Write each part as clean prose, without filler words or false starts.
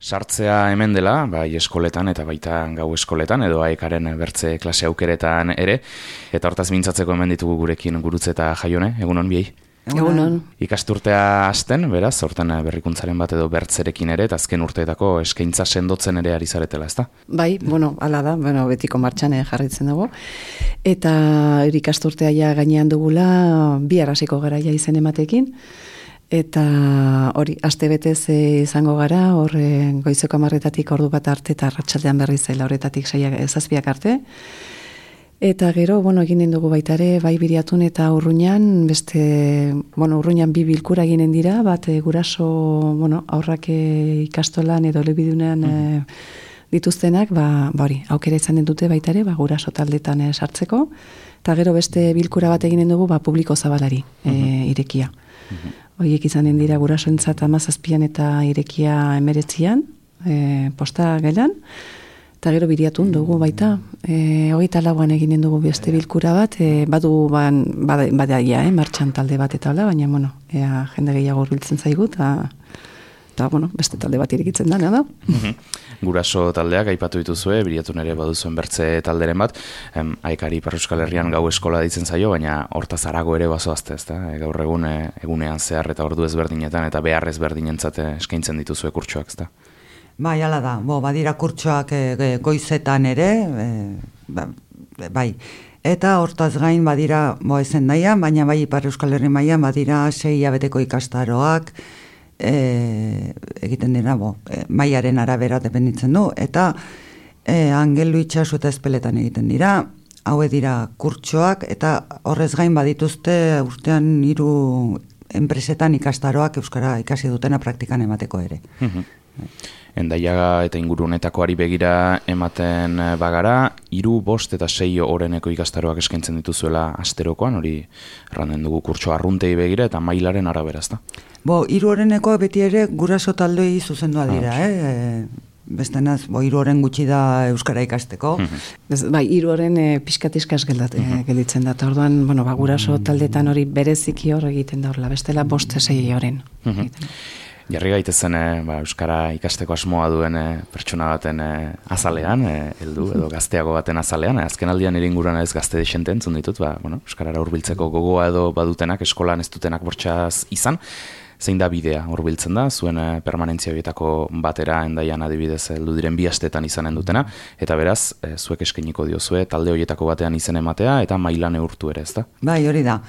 Sartzea hemen dela, bai eskoletan eta baita gau eskoletan, edo aekaren bertze klase aukeretan ere, eta hortaz mintzatzeko hemen ditugu gurekin Gurutze eta Jaione, egunon biei? Egunon. Ikasturtea hasten, beraz, hortan berrikuntzaren bat edo bertzerekin ere, eta azken urteetako eskaintza sendotzen ere ari zaretela, ezta? Bai, hala da, betiko martxan jarritzen dago. Eta ikasturtea ja gainean dugula, bi hasiko gara ja izen ematekin, eta hori, aste betez izango gara, hor goizeko 10:00 ordu bat arte, eta arratsaldean berriz 7:00 arte. Eta gero, eginen dugu baita ere, bai Biriatun eta Urruñan, Urruñan 2 bilkura eginen dira, bat guraso, aurrak ikastolan edo elebidunean dituztenak, hori, aukera izan dute baita ere, guraso taldetan sartzeko, eta gero beste bilkura bat eginen dugu, publiko zabalari irekia. Horiek izanen dira gurasoentzat 17an eta irekia 19an, posta gelan. Eta gero Biriatun dugu baita, 24an eginen dugu beste bilkura bat, badaia, martxan talde bat eta hola, baina, jende gehiago hurbiltzen zaigu, eta beste talde bat irekitzen dana da. Guraso taldeak aipatu dituzue, Biriatun ere baduzuen bertze talderen bat, aekari Ipar Euskal Herrian gau eskola ditzen zaio, baina hortaz harago ere bazoazte, ezta? Gaur egunean zehar eta ordu ezberdinetan eta behar ezberdinentzat eskaintzen dituzue kurtsoak, ezta? Bai, hala da, badira kurtsoak goizetan ere, bai, eta hortaz gain badira, ezen nahian, baina bai Ipar Euskal Herri mailan badira 6 hilabeteko ikastaroak, egiten dira, mailaren arabera dependitzen du, eta Angelu itxasu eta Ezpeletan egiten dira, haue dira kurtsoak, eta horrez gain badituzte urtean 3 enpresetan ikastaroak euskara ikasi dutena praktikan emateko ere. Endaiaga eta ingurunetakoari begira ematen bagara, 3, 5 eta 6 oreneko ikastaroak eskaintzen dituzuela asterokoan, hori erranden dugu kurtso arruntei begira eta mailaren arabera, ezta? 3 oreneko beti ere guraso taldei zuzendua dira, Bestenaz, 3 oren gutxi da euskara ikasteko. Bai, 3 oren pixkat iskas gelditzen da, eta orduan, guraso taldetan hori bereziki hor egiten da horrela, bestela 5-6 oren. Jarri gaitezen euskara ikasteko asmoa duen pertsona baten azalean, heldu edo gazteago baten azalean, azken aldian ere inguruan ez gazte desente entzun ditut, euskarara hurbiltzeko gogoa edo badutenak, eskolan ez dutenak bortxaz izan, zein da bidea hurbiltzen da, zuen permanentzia horietako batera Endaian adibidez heldu diren 2 astetan izanen dutena, eta beraz, zuek eskainiko diozue talde horietako batean izen ematea eta mailan neurtu ere, ezta? Bai, hori da.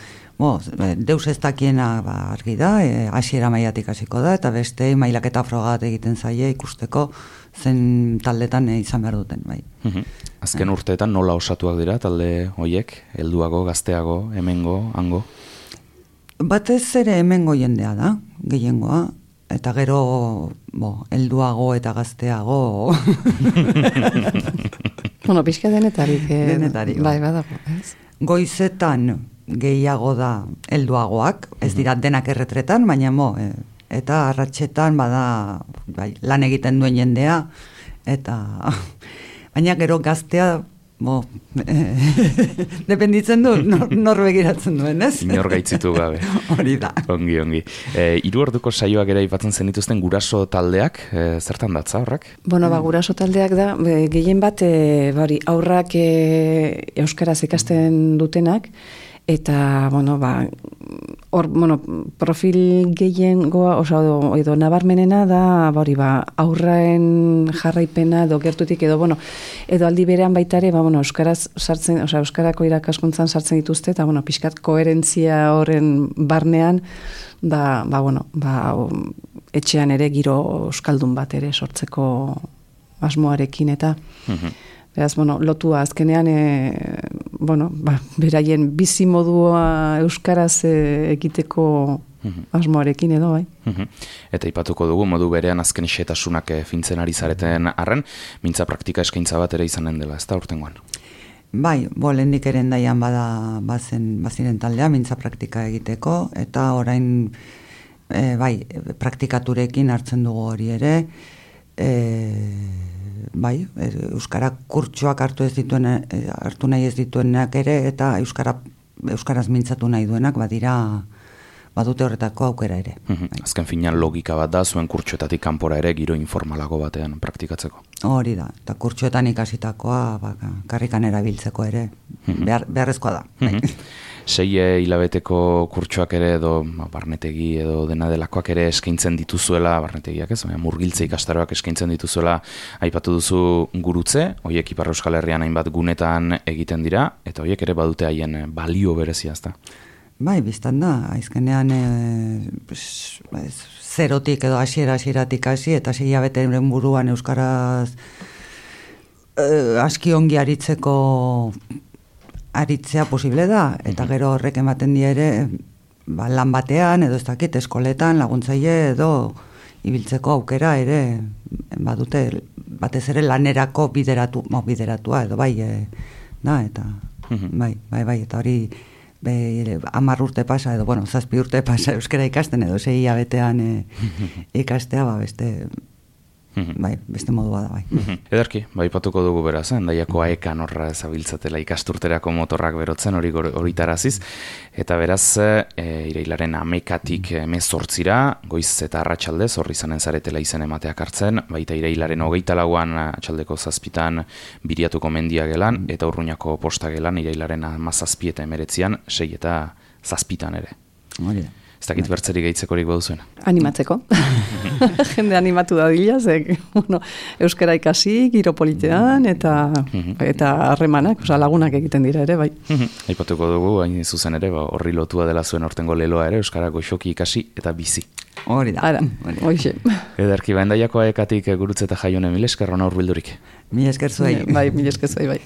Deus ez dakiena argi da, hasiera mailatik hasiko da, eta beste mailaketa frogat egiten zaie ikusteko zen taldetan izan behar duten, bai. Azken urteetan nola osatuak dira talde horiek, helduago, gazteago, hemengo, hango? Batez ere hemengo jendea da, gehiengoa, eta gero, helduago eta gazteago. Pixka denetarik. Denetarik. Bai, badago, ez? Goizetan gehiago da helduagoak, ez dira denak erretretan, baina eta arratsetan bada lan egiten duen jendea, eta baina gero gaztea dependitzen du, nor begiratzen duen, ez? Inor gaitzitu gabe. Hori da. Ongi. 3 orduko saioak ere aipatzen zenituzten guraso taldeak, zertan datza horrak? Guraso taldeak da, gehien bat, aurrak euskaraz ikasten dutenak, eta, profil gehiengoa, edo nabarmenena da, aurraen jarraipena, edo gertutik, edo aldi berean baita ere, euskaraz sartzen, euskarako irakaskuntzan sartzen dituzte, eta, pixkat koherentzia horren barnean, etxean ere giro euskaldun bat ere sortzeko asmoarekin, eta, beraz, lotua azkenean, beraien bizi modua euskaraz egiteko asmoarekin edo, bai. Eta ipatuko dugu, modu berean azken xetasunak fintzen ari zareten arren, mintza praktika eskaintza bat ere izanen dela, ez da urtengoan? Bai, lehendik ere Endaian baziren taldea, mintza praktika egiteko, eta orain, praktikaturekin hartzen dugu hori ere, euskara kurtsoak hartu nahi ez dituenak ere, eta euskaraz mintzatu nahi duenak, badira badute horretako aukera ere. Azken finean logika bat da, zuen kurtsoetatik kanpora ere giro informalago batean praktikatzeko. Hori da, eta kurtsoetan ikasitakoa karrikan erabiltzeko ere beharrezkoa da. 6 hilabeteko kurtsoak ere edo barnetegi edo dena delakoak ere eskaintzen dituzuela, barnetegiak ez, murgiltze ikastaroak eskaintzen dituzuela, aipatu duzu gurutze, horiek Ipar Euskal Herrian hainbat gunetan egiten dira, eta horiek ere badute haien balio berezia, ezta? Bai, biztan da, aizkenean zerotik edo hasieratik hasi, eta 6 hilabeteren buruan euskaraz aski ongi aritzea posible da, eta gero horrek ematen die ere lan batean, edo ez dakit, eskoletan, laguntzaile edo ibiltzeko aukera ere badute, batez ere lanerako bideratua, edo bai, eta bai, eta hori 10 urte pasa, edo, 7 urte pasa euskara ikasten, edo 6 hilabetean ikastea, beste modua da, bai. Ederki, aipatuko dugu beraz, Hendaiako aekan horra zabiltzatela ikasturterako motorrak berotzen hori taraziz, eta beraz, irailaren 11-tik 18-ra, goiz eta arratsaldez, horri izanen zaretela izen emateak hartzen, baita irailaren 24an atxaldeko 7-tan Biriatuko mendia gelan, eta Urruñako posta gelan, irailaren 17 eta 19an, 6 eta 7-tan ere. Hori da. Ez dakit bertzerik gehitzekorik baduzuena. Animatzeko. Jende animatu da dila, euskara ikasi, giro politean, eta harremanak, lagunak egiten dira ere, bai. Aipatuko dugu, hain zuzen ere, horri lotua dela zuen hortengo leloa ere, euskara goxoki ikasi eta bizi. Hori da. Hoxe. Ederki, Hendaiako aekatik gurutze eta Jaione, mil esker hona urbildurik. Mil esker zuei. Bai, mil esker zuei, bai.